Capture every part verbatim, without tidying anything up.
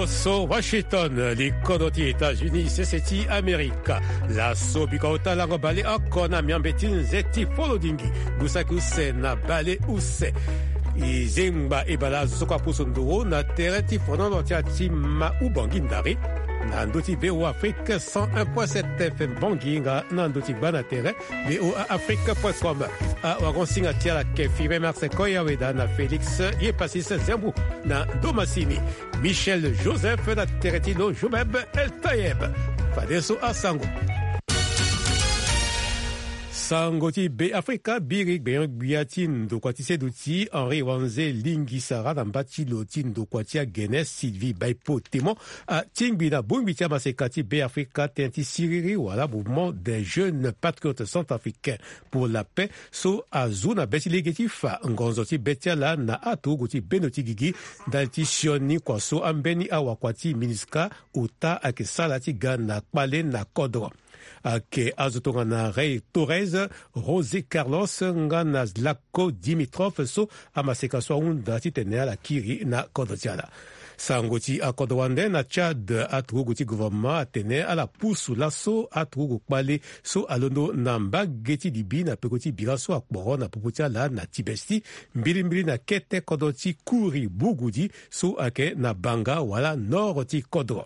So Washington, li kodro ti États-Unis, sese ti Amerika. Laso bikua ota lango baleoko na miombe ti nze ti folodingi, gusaki use na baleuse. E zengba e bale azo so kue apusu nduru na tere ti fonono ti ati ma Ubangui Ndari, na ndö ti V O A Afrique cent un point sept F M Bangui, nga na ndö ti gba na tere V O A Afrique point com. Awarango-singa ti ala ayeke Firmin Marsecoy Aweda na Félix Yepasis Zembu na ndo masini. Michel Joseph na tere ti lo, Joubeb El Tayeb. Fadeso asango. Sango ti Be Afrika. Biri gbenyo-gbia ti ndokua ti seduti Henri Wanze Lingisara na mba ti lo ti ndokua ti agene Sylvie Baipo Temon atingbi na bongbi ti amaseka ti Be Afrika tënë ti siriri wala Mouvement des Jeunes Patriotes Centrafricains pour la Paix, so azu na be ti lege ti fa ngonzo ti be ti ala na aturugu ti bendo ti gigi ndali ti sioni kua so ambeni awakua ti MINUSCA ota ayeke sara ti ga na kpale na kodro. Ayeke azo tongana Rei Torres, José Carlos nga na Zlatko Dimitrov so amaseka so ahunda titene ala kiri na kodro ti ala. Sango ti akodro wande na Tchad, aturugu ti gouvernement atene ala pusu laso aturugu kpale so alondo na mbage ti Libye na peko ti bira so akporo na popo ti ala na Tibesti, mbilimbili na kete kodro ti Kouri Bougoudi so ayeke na Banga wala nord ti kodro.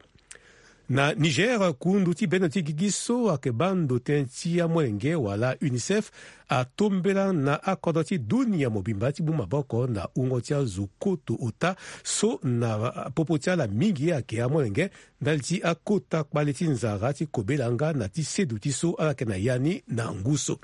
Na Niger, kundu ti bendo ti gigi so ayeke baa ndo tënë ti amolenge wala UNICEF atombela na akodro ti dunia mobimba ti mu maboko na wungo ti azo koto ota so na popo ti ala mingi ayeke amolenge ndali ti akota kpale ti nzara ti kobela nga na ti seduti so ala yeke na ya ni na ngu so.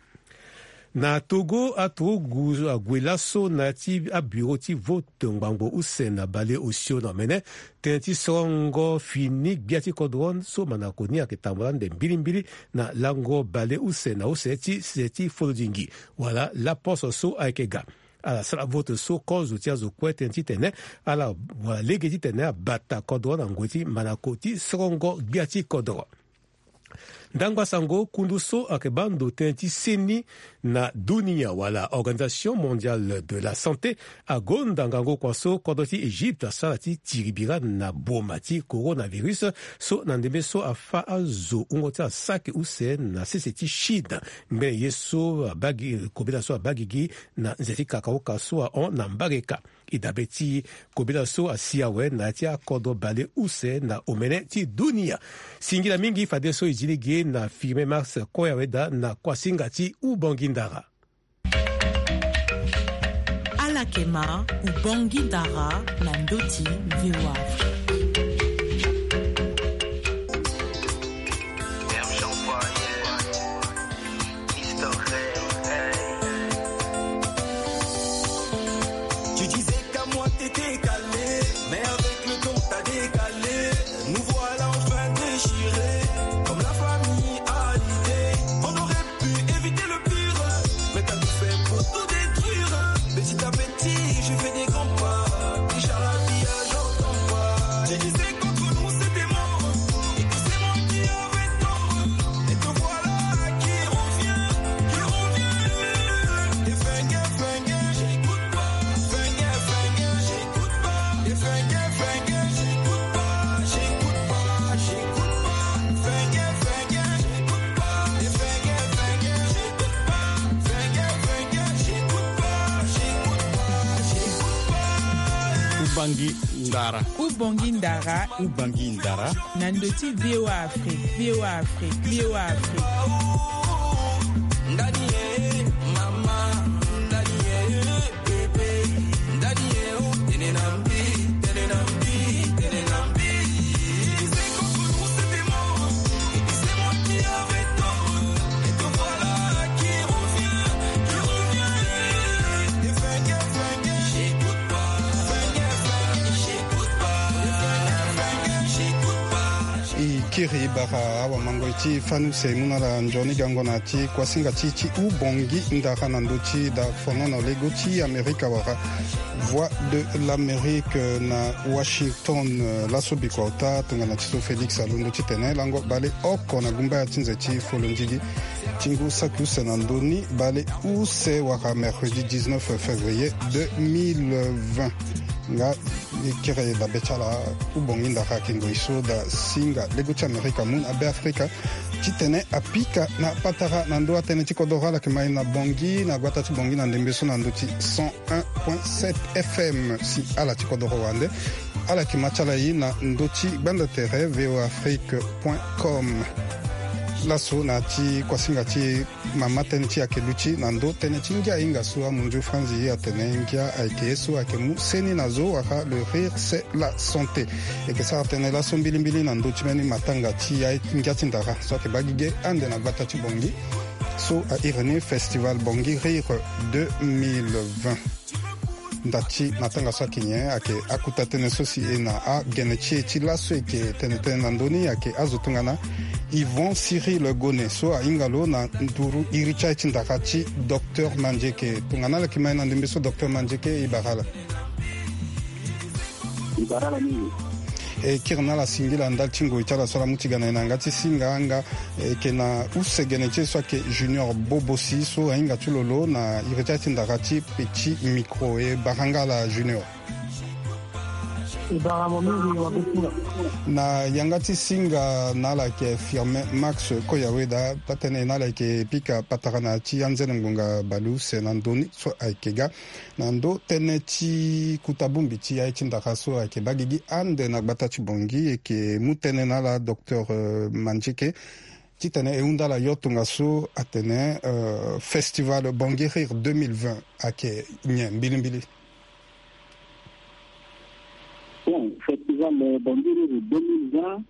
Na Togo, aturugu ague laso na ya ti abureau ti vote ngbangbo use na baleosio na omene tënë ti sorongo fini gbia ti kodro so mandako ni ayeke tambula ande mbilimbili na lango baleuse na use ti se ti folodingi wala laposo so ayeke ga. Ala sara vote so kozo ti azo kue tënë titene ala wara lege titene abata kodro na ngoi ti mandako ti sorongo gbia ti kodro. Ndangba sango, kundu so ayeke baa ndo tënë ti seni na dunia wala Organisation Mondiale de la Santé agonda ngangu kua so kodro ti Egypte asara ti tiri bira na boma ti coronavirus so na ndembe so afâ azo wungo ti asaki use na sese ti Chine. Ngbene ye so abaa gi, kobela so abaa gigi na nze ti kakaoka so ahon na mbage ka. E dabe ti kobela so asi awe na ya ti akodro baleuse na omene ti dunia. Singila mingi fadeso e zi lege na Firmin Marsecoy Aweda na kuasinga ti Ubangui Ndara. Ala yeke ma Ubangui Ndara na ndö ti V O A Afrique. Tu disais qu'à moi t'étais calé, mais avec le temps t'as décalé. Nous voilà enfin déchirés, comme la famille Hallyday. On aurait pu éviter le pire, mais t'as tout fait pour tout détruire. Petit à petit, je fais des grands pas, déjà la vie, j'entends pas. Tu disais qu'entre nous c'était mort, et que c'est moi qui avais tort. Et te voilà qui revient, qui revient. Et fengue, fengue, j'écoute pas. Fengue, fengue, j'écoute pas. Et fengue, fengue, j'écoute pas. J'écoute pas, j'écoute pas. Fengue, fengue, j'écoute pas. Et fengue, fengue, j'écoute pas. Fengue, fengue, j'écoute pas. J'écoute pas, j'écoute pas. Ubangui Ndara. Ubangui Ndara. Ubangui Ndara. Na ndö ti V O A Afrique, V O A Afrique, V O A Afrique. E kiri bara awamangoi ti fani use e mu na ala nzoni gango na ya ti kuasinga ti ti Ubangui Ndara na ndö ti dafonono lego ti Amerika wala Voix de l'Amérique na Washington. Laso bikua ota tongana ti so Félix alondo titene lango baleoko na gumbaya ti nze ti folondigi ti ngu saki use na ndö ni, baleuse wala mercredi dix-neuf février deux mille vingt. Nga e kiri dabe ti ala. Ubongi ndara ayeke ngoi so da singa lego ti Amerika mu na Beafrika titene apika na patara na ndö atënë ti kodoro. Ala yeke ma e na Bangui, na gbata ti Bangui na ndembe so na ndö ti cent un point sept F M. Si ala ti kodoro wande, ala yeke ma ti ala e na ndö ti gbanda tere V O A Afrique point com. Laso na ya ti kuasinga ti e, mama tënë ti e ayeke luti na ndö tënë ti ngia ahinga so amunzu franzi ye atene ngia ayeke ye so ayeke mu seni na zo wala le rire c'est la santé. E yeke sara tënë laso mbilimbili na ndö ti mbeni matanga ti ya ngia ti ndara so ayeke baa gigi ande na gbata ti Bangui so a iri ni Festival Bangui Rire deux mille vingt. Nda ti matanga so ayeke nyen? Ayeke akuta tënë so si e na agene ti e ti laso e yeke tene tënë na ndö ni ayeke azo tongana Yvon Cyril Gone so ahinga lo na nduru iri ti aye ti ndara ti Docteur Mandieke. Tongana ala yeke ma e na ndembe so Docteur Mandieke, e bara ala. E bara ala mingi. E kiri na ala singila ndali ti ngoi ti ala so ala mu ti ga na e na yanga ti singa nga. E yeke na use gene ti e so ayeke Junior Bobosi so ahinga ti lo lo na iri ti aye ti ndara ti Petit Micro. E bara nga ala Junior. E bara mo mingi wa be ti nga. Na yanga ti singa na ala yeke Firmin Max Koyaweda, taa-tënë na ala yeke pika patara na ya ti anzene ngbonga baleuse na ndö ni so ayeke ga. Na ndö tënë ti kuta bongbi ti aye ti ndara so ayeke baa gigi ande na gbata ti Bangui, e yeke mu tënë na ala Docteur, euh, Mandieke titene e hunda ala yo tongaso atene, euh, Festival Bangui Rire deux mille vingt ayeke nyen mbilimbili? Bon, Festival, euh, Bangui Rire deux mille vingt,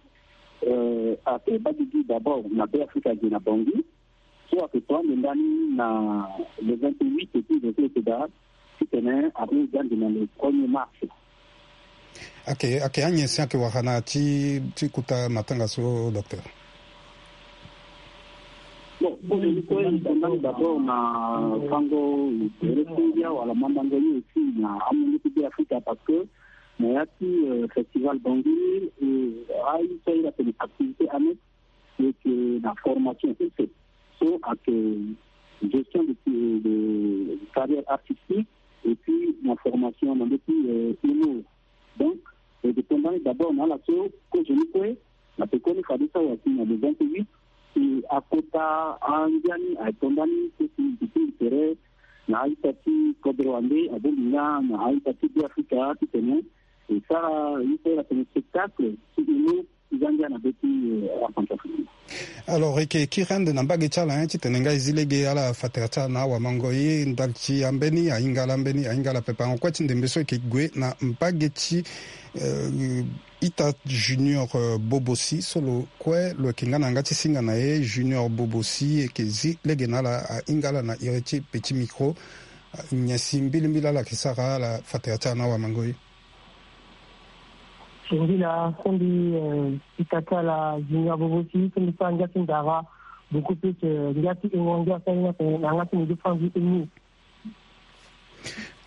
euh, ayeke baa gigi d'abord na Beafrika ge na Bangui. So ayeke to ande ndani na le vingt-huit et puis je sais que da titene amu za ande na le premier mars. Ayeke, ayeke anyen si ayeke wara na ti, ti kuta matanga so, Docteur? Bon, kue e to ndani d'abord na fango tere ti ngia wala mandango ye aussi na amungo ti Beafrika, parce que na ya ti, euh, Festival Bangui, euh, aye so aye atene activité annexe, e yeke na formation use so ayeke gestion de, de carrière artistique, et puis na formation na ndö ti, euh, humour. Donc e yeke to ndani d'abord na ala so kozo ni kue na pekoni fade so awa si na le vingt-huit, si akota angia ni aye to ndani so si mbi tingbi tere na a-ita ti kodro wande abongbi nga na a-ita ti Beafrika titene e sara ye so e atene spectacle ti humour ti za ngia na be ti, euh, aCentrafrique. Alors e yeke kiri ande na mbage ti ala, hein, titene nga e zi lege ala fa tere ti ala na awamango ye ndali ti ambeni ahinga ala, ambeni ahinga ala pepe. Ahon kue ti ndembe so e yeke gue na mbage ti, euh, ita Junior, euh, Bobosi so lo kue lo yeke nga na yanga ti singa na e. Junior Bobosi, e yeke zi lege na ala, ahinga ala na iri ti Petit Micro. Nyen si mbilimbili ala yeke sara ala fa tere ti ala na awamango ye? Singila, kondi, eh, ita ti ala Junior Bobosi, kondi so angia ti ndara, beaucoup plus, eh, ngia ti ingo, ngia so ahinga tene na yanga ti mo ndio fanzi eni.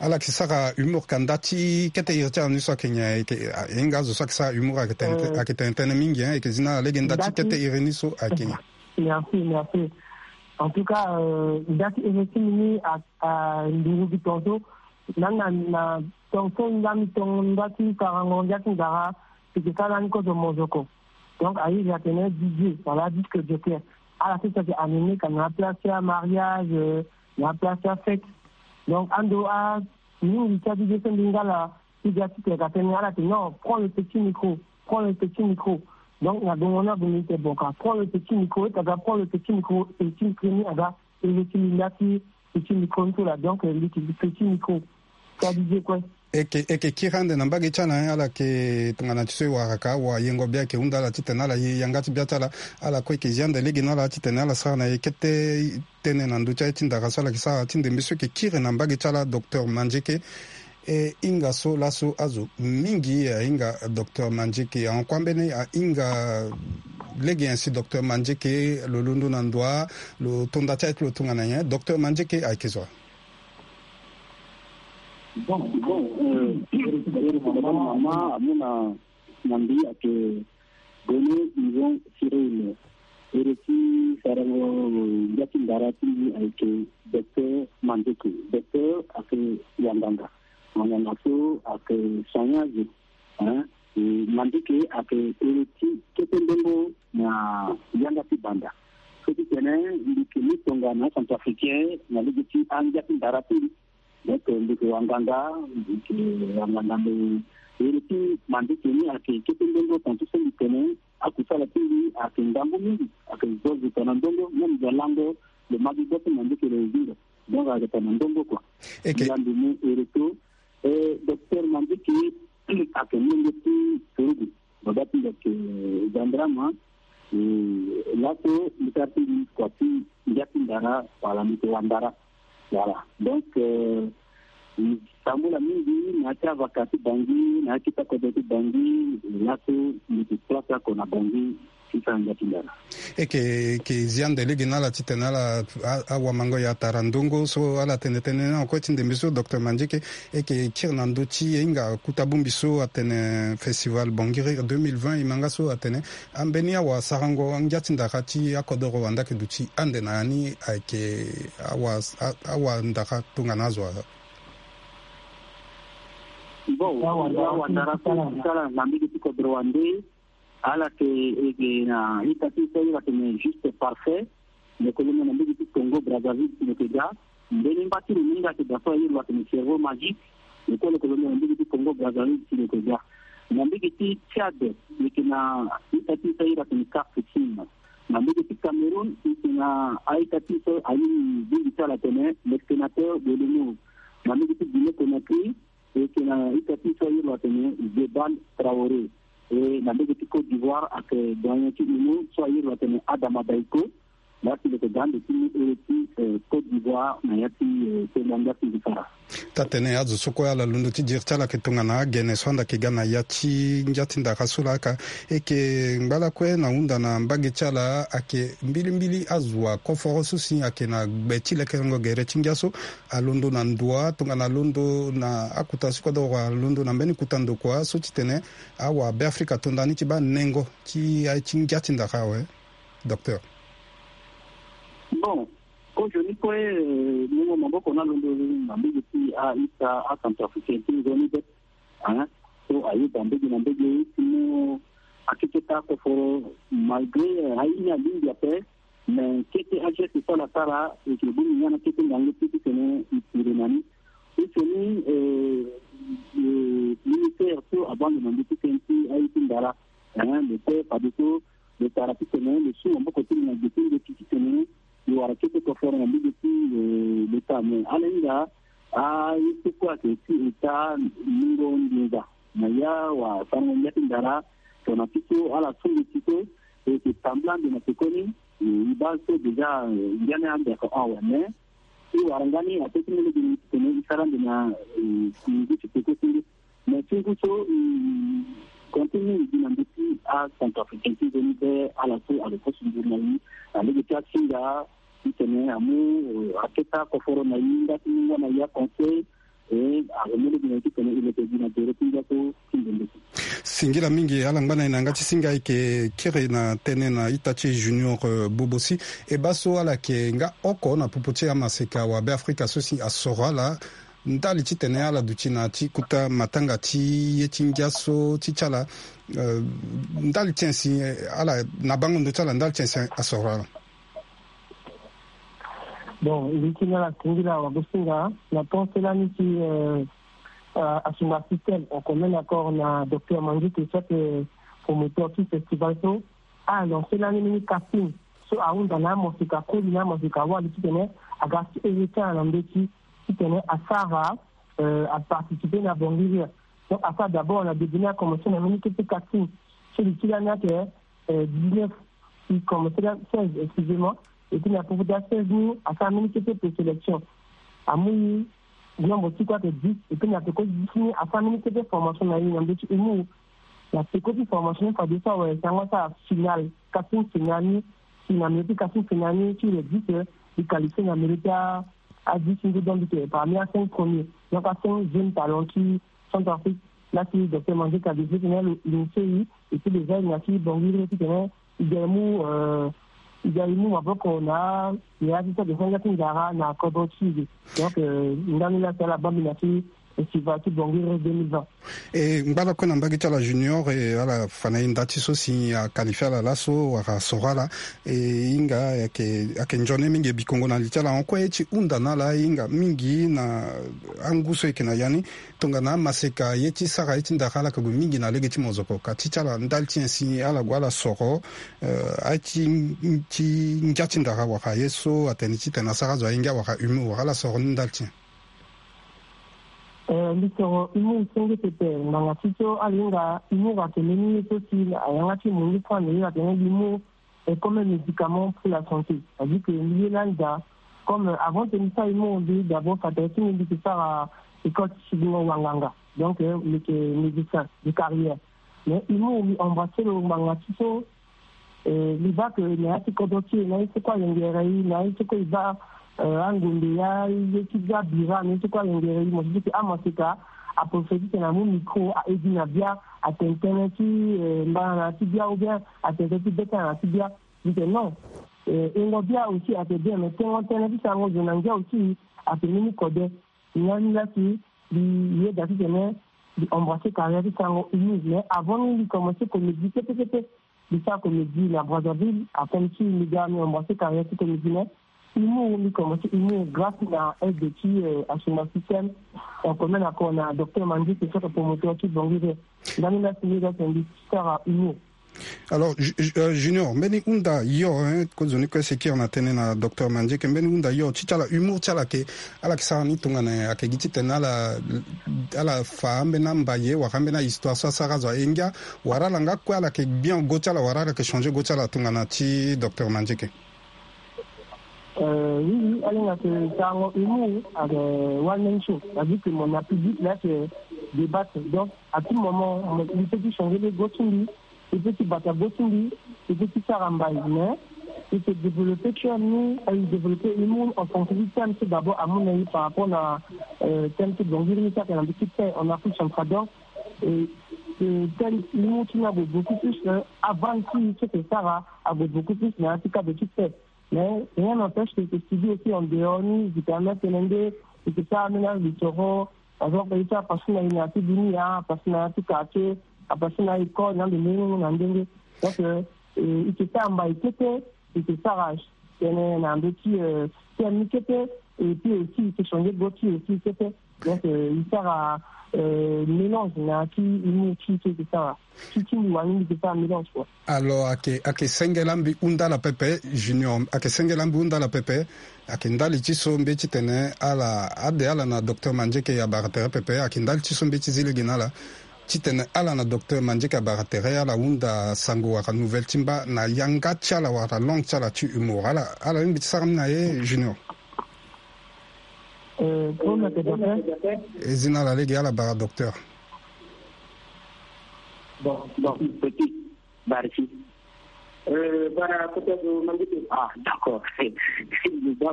Ala yeke sara humour ka nda ti kete iri ti ala ni so ayeke nyen? Ayeke, a, e hinga azo so ayeke sara humour ayeke tene, eh, ayeke tene tënë mingi, hein, e yeke zi na ala lege nda ti kete iri ni so ayeke nyen? Merci, merci. En tout cas, euh, nda ti iri ti mbi ni a, a nduru gi tongaso, na, na, na tongaso nda mbi tonga nda ti karango nda ti ndara, si yeke sara lani kozo mozoko. Donc a iri atene D J, wala disque jockey. Ala so si ayeke animé ka na place ti amariage, euh, na place ti afête. Donc ando a mingi ti a D J so mbi nga la, ti ga ti tene ka tene ala tene non, prends le petit micro, prends le petit micro. Donc na gongo ni ague mbi tene bon ka prends le petit micro, ita ga prends le petit micro, petit micro ni aga iri ti mbi nda ti petit micro ni so la, donc, eh, mbi ti petit micro. Ti a D J kue. E yeke, e yeke kiri ande na mbage ti ala, hein, ala yeke tongana ti so e wara ka, awayengo bia ayeke hunda ala titene ala ye yanga ti bia ti ala. Ala kue e yeke zi ande lege na ala titene ala sara na e kete tënë na ndö ti aye ti ndara so ala yeke sara ti ndembe so e yeke kiri na mbage ti ala Docteur Mandieke. E hinga so laso azo mingi ahinga Docteur Mandieke. Ahon kue ambeni ahinga lege nyen si Docteur Mandieke lo londo na ndo wa, lo to nda ti aye ti lo tongana nyen? Docteur Mandieke ayeke zo wa? Bon, bon, euh, iri ti mama amu na, na mbi ayeke Gone Yvon Cyril. Iri ti sarango ngia ti ndara ti mbi ayeke Docteur Mandieke. Docteur ayeke wanganga. Wanganga so ayeke Ayeke ere ti kete ndongo na yanga ti banda. So ti tene mbi yeke mu tonga na acentrafricain na lege ti angia ti ndara ti mbi. Donc mbi yeke wanganga, mbi yeke wanganga, me ere ti Manduki ni ayeke kete ndongo, tantu so mbi tene akusala ti mbi ayeke ngangu mingi, ayeke zo zo tongana ndongo. Même mbi alango lo ma gi gbo ti Manduki lo zingo. Donc ayeke tongana ndongo kua. Eke. Mbi la mbi mu ere so, eh, docteur Manduki ayeke molenge ti Turugu. Baba ti mbi ayeke gendarme, eh, laso mbi sara ti mbi kua ti ngia ti ndara, wala mbi yeke wandara. Voilà. Donc, euh, mbi tambula mingi na ya ti avaka ti Bangui, na ya ti kota kodro ti Bangui, laso mbi yeke place oko na Bangui ti sara ngia ti ndara. Eke, eke zi ande lege na ala titene ala a, awamango ya tara ndongo so ala tene tënë ni na kue ti ndembe so, docteur Manduki. Eke kiri na ndö ti e hinga kuta bongbi so atene Festival Bangui Rire deux mille vingt, e ma nga so atene ambeni awasarango ngia ti ndara ti akodoro wanda ayeke duti ande na ya ni ayeke awa, a, awandara tongana azo. Bon, awandara so ti sara na mbage ti kodro wande, ala yeke, e yeke na ita ti so ayeke juste parfait. Lo yeke londo na mbage ti Congo Brazzaville si lo yeke ga. Mbeni mba ti lo ni nga ayeke daa so ayeke lo atene cerveau magique. Lo kue lo yeke londo na mbage ti Congo Brazzaville si lo yeke ga. Na mbage ti Tchad, e yeke na ita ti so ayeke lo atene Kafoussine. Na mbage ti Cameroun, e yeke na a-ita ti so aye ni bongbi ti ala atene le sénateur de l'Omo. Na mbage ti Guinée Conakry, e yeke na ita ti so ayeke lo atene Zebal Traoré. E na mbage ti Côte d'Ivoire ayeke doyen ti unu so ayeke lo atene Adama Daiko. Laa si lo yeke ga ande ti mu ere ti, eh, Côte d'Ivoire na ya ti, eh, tenda ngia ti mbi sara. Taa-tënë, azo so kue ala londo ti diri ti ala ayeke tongana agene so ande ayeke ga na ya ti ngia ti ndara so laa ka. E yeke ngba lakue na hunda na mbage ti ala ayeke mbilimbili azo wa koforo so si ayeke na gbe ti lekerengo gere ti ngia so. Alondo na ndua tongana alondo na akota so kodoro alondo na mbeni kota ndokua so titene awa Beafrika ato ndani ti baa nengo ti aye ti ngia ti ndara awe, docteur. Bon, kozoni kue, eh, mungo maboko ni alondo na mbage ti a-ita acentrafricain ti nzoni be. Hein? So ayeda mbage na mbage ti mu akeketa koforo, malgré, eh, aye ni alingbi ape, mais kete ageste so ala sara, e yeke bongbi nga na kete ngangu ti titene e pire na ni. Titene, eh, eh, ministère so abaa ndo na ndö ti tënë ti aye ti ndara, hein, lo kue fadeso lo tara titene lo su maboko ti lo na gbe ti ndoki titene lo wara kete koforo na mbage ti, eh, lo ta, mais ala hinga aye so kue ayeke ti eta mungo nginza na ya wasarango ngia ti ndara. Tongana ti so ala su ndoki so, e yeke tambula ande na pekoni, eh, e baa so déjà, eh, ngia ni ande ayeke hon awe, mais e wara nga ni ape ti mu lege ni titene e sara ande na, eh, ngu ti peko ti ngu. Mais ti ngu so, eh, konte mingi gi na ndö ti acentrafricain ti nzoni be, ala so alo koso nduru na e na lege ti asinga titene amu, eh, aketa koforo na e nga ti mu nga na e aconseil. E, azo mu lege na e titene e leke gi na gere ti ngia so ti nzoni be. Singila mingi, ala ngba na e na yanga ti singa. E yeke kiri na tënë na ita ti e Junior, euh, Bobo si e baa so ala yeke nga oko na popo ti amaseka wa Beafrika so si asoro ala ndali titene ala duti na ya ti kota matanga ti ye ti ngia so ti ti ala, euh, ndali ti nyen si, eh, ala na bango ndo ti ala ndali ti nyen si asoro ala. Bon, mbi ti na ala singila wagosinga na ton ti lani ti, euh, euh, asunga système en commun accord na docteur Manduki, soit, euh, promoteur ti festival so, a lancé lani mbeni casting so ahunda na amosika koli na amosika wali titene aga ti ere ti ala na ndö ti titene asara, euh, aparticiper na Bangui Rire. Donc asara d'abord na début ni, akomense na mbeni kete casting. So li ti lani ayeke, euh, dix-neuf, il commençait là, seize, excusez-moi. Et puis na popo ti a seize ni asara mbeni kete présélection. Amu nombre ti kue ayeke dix, et puis na peko ti dix ni asara mbeni kete formation na e na ndö ti humour. Na peko ti formation ni fadeso awe, si asango asara finale, casting finale ni. Si na milieu ti casting finale ni, si le dix, eh, e qualifié na milieu ti a, a dix ni, donc e yeke parmi a cinq premiers. Donc a cinq jeunes talents ti Centrafrique. Laa si docteur Manduki a décidé titene lo initié e, et puis déjà e na ya ti Bangui Rire titene e ga e mu, euh, e ga e mu maboko na ya ti so ayeke fo ngia ti ndara na kodro ti e. Donc, euh, ndani laa si ala baa mbi na ya ti Festival ti Bangui deux mille vingt. E ngba ala kue na mbage ti ala Junior, e ala fa na e nda ti so si a qualifie ala laso wala asoro ala. E hinga ayeke ayeke nzoni mingi e bikongo na li ti ala. Hon kue ye ti hunda na ala, e hinga mingi na angu so e yeke na ya ni, tongana amaseka ye ti sara ye ti ndara ala yeke gue mingi na lege ti mozoko. Ka ti ti ala ndali ti nyen si ala gue ala soro, eh, aye ti, ti ngia ti ndara wala ye so atene titene asara azo aye ngia wala humour, wala ala soro ni ndali ti nyen? Eh, mbi soro humour senge pepe, ngbanga ti so ala hinga humour atene ni ye so si ayanga ti mundu franc, mais ye atene humour est comme un médicament pour la santé. C'est-à-dire que mbi ye lani daa, comme, euh, avant que mbi sara humour, mbi d'abord fa tere ti mbi, mbi yeke sara école ti sidingo wanganga. Donc, euh, mbi yeke médecin de carrière. Mais humour, mbi embrasser lo ngbanga ti so, eh, mbi baa que na ya ti kodro ti e, na ye so kue alengere e, na ye so kue e baa, eh, angombe ya ye ti bia bira, na ye so kue alengere e, mo si que amaseka, aprophétise na mu micro, a aide na bia, atene tënë ti, eh, mbana na ya ti bia, ou bien atene tënë ti beta na ya ti bia. Mbi tene non. Eh, ingo bia aussi ayeke bien, mais tengo tënë ti sarango zo na ngia aussi ayeke mbeni kode. Ni laa si mbi yeda titene mbi embrasser carrière ti sarango humour. Mais avant ni mbi commencer comédie kete kete. Mbi sara comédie na Brazzaville, akomi ti mbi ga mbi embrasser carrière ti comédie, mais humour, mbi commencer humour grâce na aide ti, euh, Assoumani Système, en commun encore na docteur Mandieke, so ayeke promoteur ti Bangui. Ndani laa si mbi ga tene mbi sara humour. Alors, Ju-, Ju-, euh, Junior, mbeni hunda yo, hein, kozoni kue si e kiri na tënë na docteur Mandieke, mbeni hunda yo, ti ti ala humour ti ala ayeke, ala yeke sara ni tongana nyen? Ayeke gi titene ala, ala fa ambeni ambaye wala ambeni ahistoire so asara azo aye ngia, wala ala nga kue ala yeke bien go ti ala, wala ala yeke changer go ti ala tongana ti docteur Mandieke? Euh, oui, oui, ala hinga que sarango humour ayeke one man show. C'est-à-dire que mo na public laa ayeke débattre. Donc, à tout moment, mo, mbi peut ti changer le go ti mbi, mbi peut ti bata go ti mbi, mbi peut ti sara mbai, mais mbi peut développer ti ani, aye développer humour en fonction du thème, c'est d'abord amu na ye par rapport na, euh, thème ti Bangui ni, so ayeke na mbi ti paix en Afrique centrale. Donc, euh, euh, thème humour ti ni ague beaucoup plus, euh, avant ti so ayeke sara ague beaucoup plus na ya ti cadre ti paix. Mais rien n'empêche que, que studio aussi en dehors ni, zi permettre tene nde, que ça amena litoro, par exemple, ita apasina ina ti dunia, apasina ti quartier, apasina école, na ndenge na ndenge. Donc, euh, euh, ike sara mbai kete, ike sara tene na ndo ti, euh, thème ni kete, et puis aussi ike changer go ti aussi kete. Donc, euh, il sera, euh, mélange na ti humour ti, ti, ti sara. Ti, ti mbi wani mbi ke sara mélange, quoi. Alors, ake, ake sengela mbi hunda ala pepe, Junior, ake sengela mbi hunda ala pepe, ake ndali ti so mbi ti tene ala, ade ala na docteur Mandieke abara tere pepe, ake ndali ti so mbi ti zi lege na ala. Ti tene ala na docteur Mandieke abara tere, ala hunda sango wala nouvelle ti mba na yanga ti ala wala langue ti ala ti humour. Ala, ala lingbi ti sara ni na ye, Junior. Euh, pour le docteur. E zi na ala lege, ala bara docteur. Bon, bon, petit, bara si. Euh, bara peut-être, euh, Mandieke. Ah, d'accord.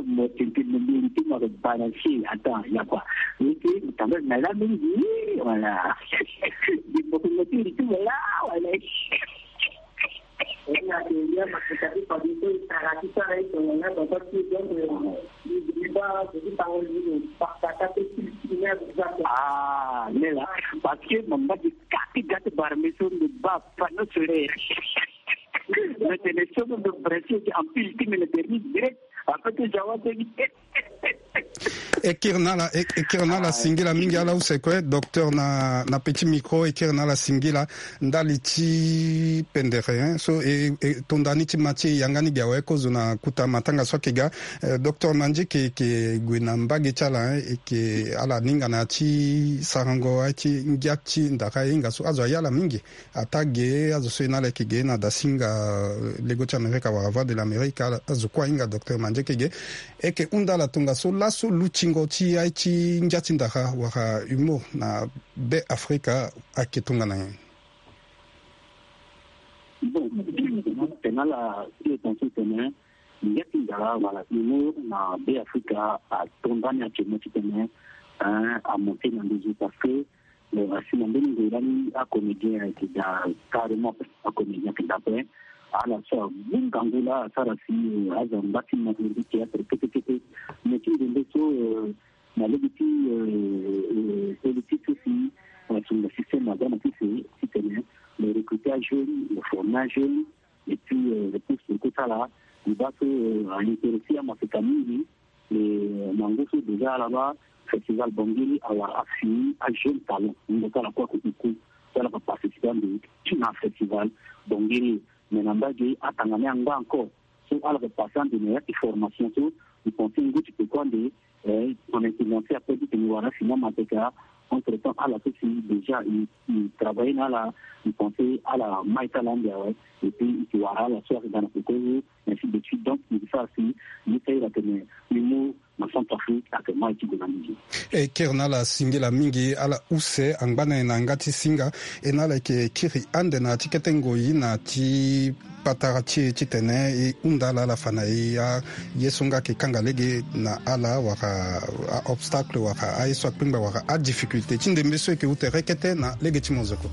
Mo tintin mo mbi ti mo bara si. Attends, il y a quoi? Oui, oui, quand même, mais là, mais oui, voilà. Des photos, mais tu dis, voilà, voilà. Ah, mais là, parce que mon mari, quand il gâte par mes sons de bas, panneau solaire. Mais c'est les sons de branché qui empile, qui me le dirige direct. Après que j'avance, e kiri na ala, e, e kiri na ala singila mingi, ala use kue docteur na, na petit micro, e kiri na ala singila ndali ti pendere, hein. So e, e tonda ni ti ma ti e yanga ni gi awe, kozo na kuta matanga so ayeke ga. Eh, docteur Mandieke, e ke gue na mbage ti ala, hein, e ke ala ningana ti sarango aye ti ngia ti ndara, e hinga so azo aye ala mingi. Ataa ge azo so e na ala e yeke ge na dasinga, eh, lego ti Amerika wala Voix de l'Amérique, ala, azo kue ahinga docteur Mandieke ge. E yeke hunda ala tongaso laso lutingo ti aye ti ngia ti ndara wala humour na Be Afrika ayeke tongana nyen? Bon, tene ala ti e tongaso tene ngia ti ndara wala humour na Be Afrika atonda ni actuellement titene, eh, amonte na nduzu parce que Bon, asi na mbeni ngoi lani acomédien ayeke daa carrément, acomédien ayeke daa ape. Ala so agu ngangu laa asara si, eh, aza ngba ti mo na mbi théâtre kete kete. Mo ti nzembe so, eh, Na lege ti politique so si, si na système na ga na ti se, titene le recruter ajeune, le former ajeune, et puis le poste kosala liba so a intéressé amaseka mingi. E na ngu so déjà ala baa festival Bangui awara afini ajeune talent, ngu so ala kue ako iku so ala pa participer ande na festival Bangui. Mais na mbage atanga ni angba encore so ala pa passer ande na ya ti formation so, e pense ngu ti pe kue ande son intelligence ape ti tene wara afini amaseka. Entre temps ala so si déjà e travailler na ala, e pense ala mai ti ala ande awe. Et puis e ti wara ala so ayeke ga na peko so, ainsi de suite. Donc e sara si e sara atene e mu na Centrafrique ayeke mai ti gue na mbage. E kiri na ala singila mingi ala use angba na e na yanga ti singa. E na ala yeke kiri ande na ya ti kete ngoi na ya ti patara ti e titene e hunda ala ala fa na e aye so nga ayeke kanga lege na ala wala a-obstacle wala aye so akpengba wala adifficulté ti ndembe so e yeke ute rekete na lege ti mozoko.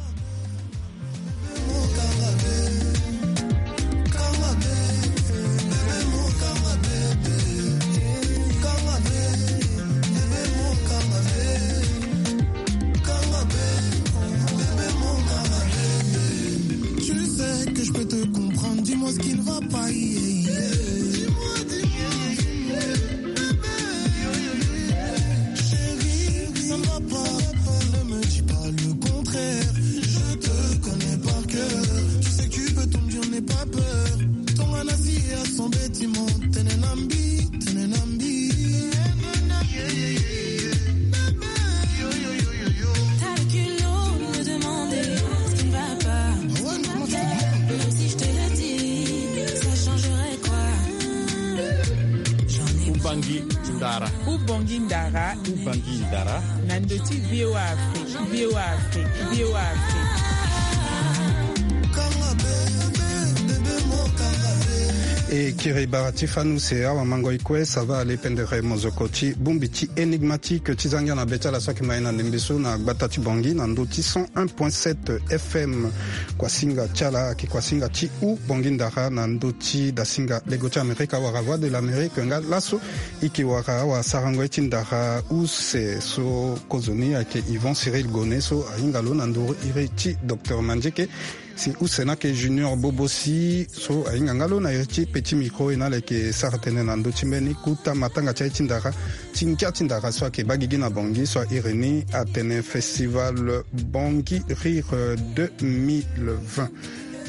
Tu sais que je peux te comprendre, dis-moi ce qui ne va pas. Yeah, yeah. Dis-moi, dis-moi. Chérie, ça ne va pas. Ne me dis pas le contraire. Je te connais par cœur. Tu sais que tu peux tout me dire, n'aie pas peur. Tongana si ya son bâtiment. Tenenambi, tenenambi. T'as le culot de me demander ce qui ne va pas. Même si je te le dis, ça changerait quoi? J'en ai Ubangi Ndara. Ubongi Ndara. Ubangi Ndara. Na ndö ti V O A Afrique, V O A Afrique, V O A Afrique. E kiri bara ti fani use, awa mango e kue, ça va aller pendere mozoko ti bongbi ti énigmatique ti zangia na be ti ala so ayeke ma e na ndembe so na gbata ti Bangui na ndö ti cent un point sept F M. Kuasinga ti ala ayeke kuasinga ti Ubongi Ndara na ndö ti dasinga lego ti Amerika wala Voix de l'Amérique. Nga laso e yeke wara awasarango ye ti ndara use so kozoni ayeke Yvon Cyril Gone so ahinga lo na nduru iri ti Docteur Mandieke. Si use ni ayeke Junior Bobosi so ahinga nga lo na iri ti petit micro, e na ala yeke sara tënë na ndö ti mbeni kota matanga ti aye ti ndara ti ngia ti ndara so ayeke baa gigi na Bangui so a iri ni atene Festival Bangui Rire deux mille vingt.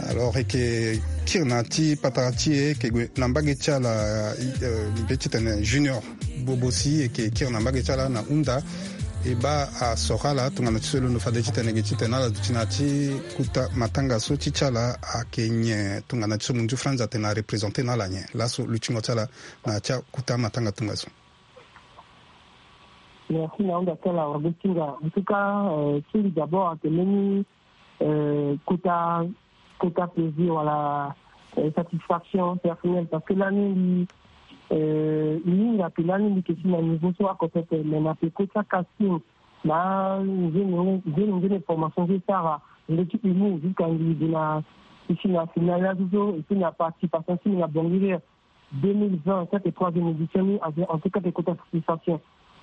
Alors e yeke kiri na ya ti patara ti e, e yeke gue na mbage ti ala, euh, mbi pe ti tene Junior Bobosi, e yeke kiri na mbage ti ala na hunda e baa asoro ala tongana ti so e londo fade ti tene ge ti tene ala duti na ya ti kota matanga so ti ti ala ayeke nyen, tongana ti so munzu Franz atene arepresente na ala nyen laso lutingo ti ala na ya ti akota matanga tongaso. Merci na hunda ti ala wara be ti nga. En tout cas, euh, ti mbi d'abord ayeke mbeni euh, kota, kota plaisir wala, euh, satisfaction personnelle, parce que lani mbi, euh, mbi hinga ke lani mbi yeke si na niveau so oko pepe, mais na peko ti acasting na nzene nzene nzene formation so e sara ndö ti humour jusqu'à mbi gue na, mbi si na final laso so, et puis na participation ti mbi na Bangui Rire deux mille vingt, ça c'est troisième édition ni, en tout cas c'est kota satisfaction.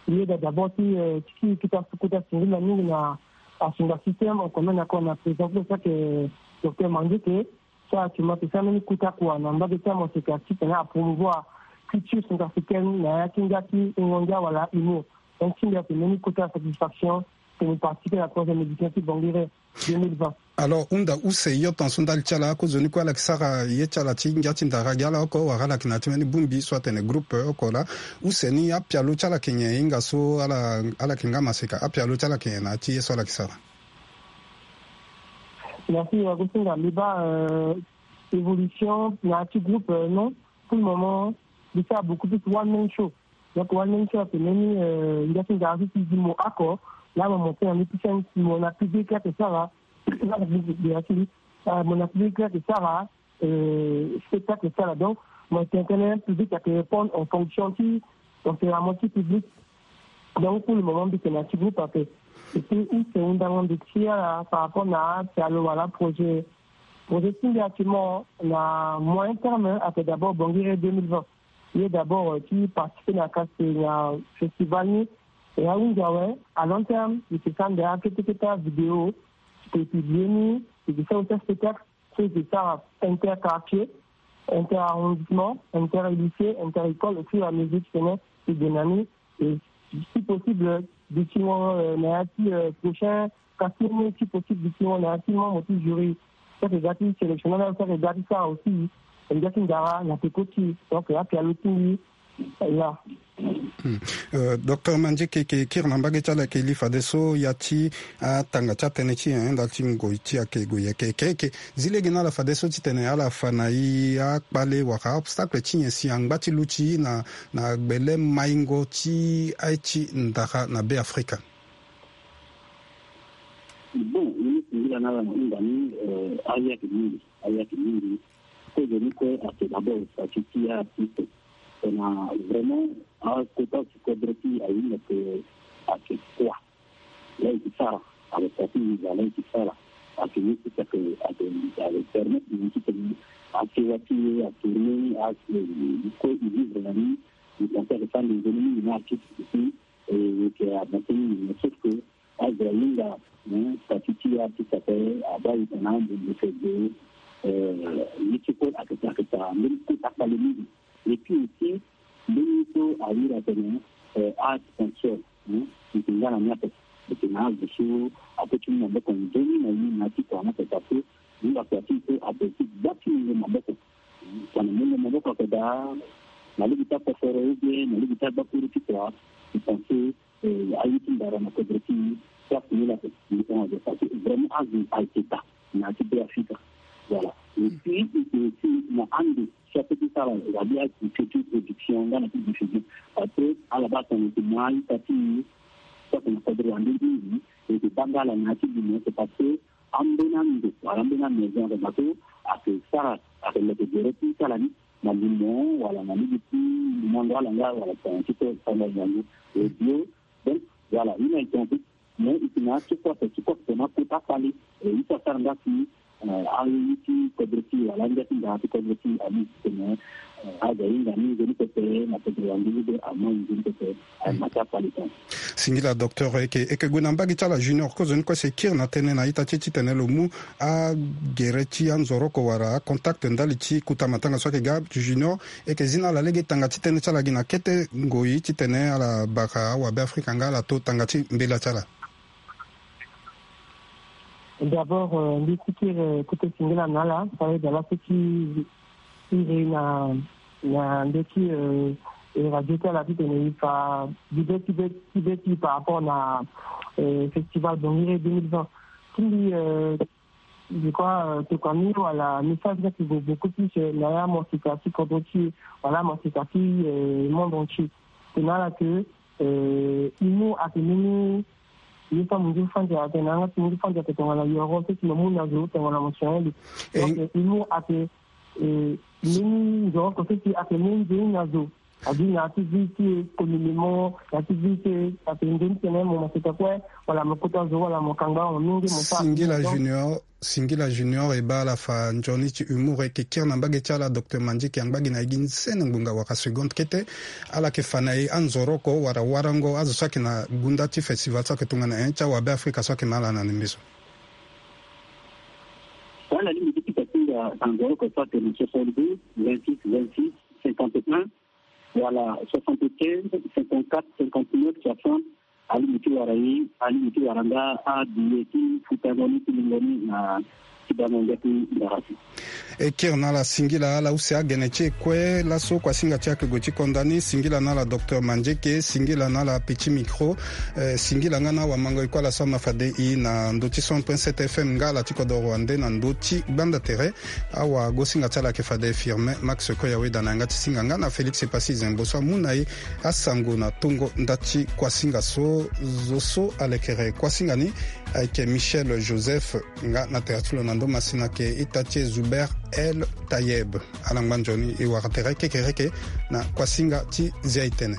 Ye da d'abord ti, euh, ti, ti kota, kota singila mingi na asinga système, on connaît encore na président pour ça que Docteur Mandieke, ça actuellement c'est ça même kota kua na mbage ti amaseka ti tena a promouvoir culture centrafricaine na ya ti ngia ti ngongia wala humour. Donc ti ndia c'est même kota satisfaction que nous participer à la troisième édition ti Bangui Rire deux mille vingt. Alors hunda use, yo tongaso ndali ti ala, kozoni kue ala yeke sara ye ti ala ti ngia ti ndara gi ala oko wala ala yeke na ya ti mbeni bongbi so atene groupe oko laa. Use ni apialo ti ala yeke nyen, e hinga so ala, ala yeke nga maseka, apialo ti ala yeke nyen na ya ti ye so ala yeke sara? Merci, euh, Agustin, nga mbi baa, euh, évolution na ya ti groupe, euh, non. Pour le moment mbi sara beaucoup plus one man show. Donc one man show ayeke mbeni, euh, ngia ti ndara so ti zi mo oko laa mo mo tene na ndö ti scène, mo na public laa ayeke sara, laa mo na public laa ayeke sara, euh, spectacle ti ala. Donc mo tene tënë public ayeke répondre en fonction ti tempérament ti public. Donc pour le moment mbi yeke na ti groupe ape. Et puis use hundango mbi ti ala par rapport na apialo wala projet. Projet ti mbi actuellement na moyen terme ayeke d'abord Bangui Rire deux mille vingt. Ye d'abord, euh, ti participer na kasi na festival ni, Et ahunzi awe, à long terme, il se sent derrière quelques vidéos, tu peux publier ni, tu peux faire aussi un spectacle, tu peux faire interquartier, inter-arrondissement, inter-lycée, inter-école, au fur et à mesure, tu connais, tu dynamiques, et si possible, d'ici, euh, na ya ti, euh, prochain, kasi ni si possible, d'ici, na ya ti membre ti jury, ça c'est gâté sélectionné, ça c'est gâté ça aussi, et gâté ndara, na peko ti, donc là, tu as le tout, là. Hmm. Euh, docteur Mandieke, e ke kiri na mbage ti ala, e ke li fadeso ya ti atanga ti atënë ti e, ndali ti ngoi ti e ayeke gue yeke. E ke, e ke zi lege na ala fadeso titene ala fa na e akpale wala obstacle ti nyen si angba ti luti na, na gbele maingo ti aye ti ndara na Be Afrika. Bon, ministre, ngira na ala na hunda ni, euh, aye ayeke mingi, aye ayeke mingi. Kozo ni kue ayeke d'abord statut ti artiste. Tongana vraiment akota ti kodro ti e ahinga ke ayeke kua, la e yeke sara, ayeke statut visa, la e yeke sara, ayeke ye ti ayeke, ayeke, ayeke permettre na ye ti tene asewa ti e atourner, a, e kue e vivre na ni. E pense ayeke sara nzoni mingi na artiste aussi, e yeke avancer mingi, mais sauf que azo ahinga, hein, statut ti artiste ape, abaa e tongana ambongo fade, euh, ye ti kue ayeke, ayeke sara mbeni kota kpale mingi. Et puis aussi, mbeni so awiri atene, euh, asponsor, hein, e yeke nga na ni ape. E yeke na azo so akoti ni maboko nzoni na ye na ya ti kua ni ape, parce que ni akua ti e so ape ti gba ti mungo maboko. Tongana mungo maboko ayeke daa na lege ti akosoro ou bien na lege ti agbakuru ti kua, e pense, euh, aye ti ndara na kodro ti e, place ni la ape. Ni hon azo, parce que vraiment azo ayeke daa na ya ti Be Afrika. Voilà. Et puis e yeke aussi na ande so ape ti sara, c'est-à-dire agriculture, production nga na ti diffusion. Parce que ala baa tongana e yeke mu a-ita ti e so ayeke na kodro wande mingi, e yeke baa nga ala na ya ti limo, c'est parce que ambeni ando wala ambeni amaison ayeke daa so ayeke sara, ayeke leke gere ti sara ni na limo wala na lege ti mango ala nga wala tongana ti so e sara nga ngangu. E bio, donc voilà, ye ni ayeke en fait, mais e yeke na ya ti kue ape, ti kue ape na kota kpale. E ye so asara nga si, euh, aye ti kodro ti e wala angia ti ndara ti kodro ti e amu titene, euh, azo ahinga ni nzoni pepe na kodro wande ni be amu nzoni pepe. Singila docteur, e yeke, e yeke gue na mbage ti ala Junior, kozoni kue si e kiri na tënë na ita ti e titene lo mu agere ti anzoroko wala acontact ndali ti kota matanga so ayeke ga. Junior, e yeke zi na ala lege tanga ti tënë ti ala gi na kete ngoi titene ala bara awabe Afrika nga ala to tanga ti mbela ti ala. D'abord, euh, mbi ti kiri, euh, kete singila na ala, fade ala so ti iri na, na ndö ti, euh, e radio ti ala titene e fa bibe ti be, ti be ti par rapport na, euh, festival Bangiri deux mille vingt. Ti mbi, euh, je crois, euh, tokua ni wala message ni ayeke gue beaucoup plus, euh, na ya amorsika ti kodro ti e wala amorsika ti, euh, monde entier. Tongana ala ke, euh, e mu ayeke mbeni ye so amunzu fandi atene na yanga ti munzu fandi ayeke tongana yoro so si lo mu na zo tongana mo sioni lo. Donc, euh, e mu ayeke, euh, mbeni nzoroko so si ayeke mu nzoni na zo. Abi na ya ti vie ti e communément, na ya ti vie ti e, ayeke nzoni tene mo ma seta kue wala mo kota zo wala mo kangba mo mingi mo fa. Singila Junior, Singila Junior, e baa ala fa nzoni ti humour. E yeke kiri na mbage ti ala docteur Mandieke, angba gi na e gi nzene ngbonga wala seconde kete. Ala yeke fa na e anzoroko wala warango azo so ayeke na gunda ti festival so ayeke tongana nyen ti awabe Afrika so ayeke na ala na ndembe so. Wala alingbi ti pika ti nga anzoroko so atene soixante-douze, vingt-six, vingt-six, cinquante et un, wala soixante-quinze, cinquante-quatre, cinquante-neuf, soixante. Alingbi ti wara ye, alingbi ti wara nga abiye ti futango ni ti lingo ni na ti bango ngia ti ndara ti. E kiri na ala singila, ala use agene ti e kue laso kuasinga ti e ayeke gue ti konda ni. Singila na ala docteur Mandieke, singila na ala Petit Micro, eh, singila nga na awamango e kue ala so ama fade e na ndö ti cent point sept F M nga ala ti kodoro wande na ndö ti gbanda tere. Awagosinga ti ala ayeke fade Firmin Max Koya Weda na yanga ti singa nga na Félix Epassi Zembo so amu na e asango na tongo nda ti kuasinga so. Zo so alekere kuasinga ni ayeke Michel Joseph, nga na tere ti lo na ndo masina ayeke ita ti e Zuber El Tayeb. Ala ngba nzoni e wara tere kekereke na kuasinga ti zia e tene.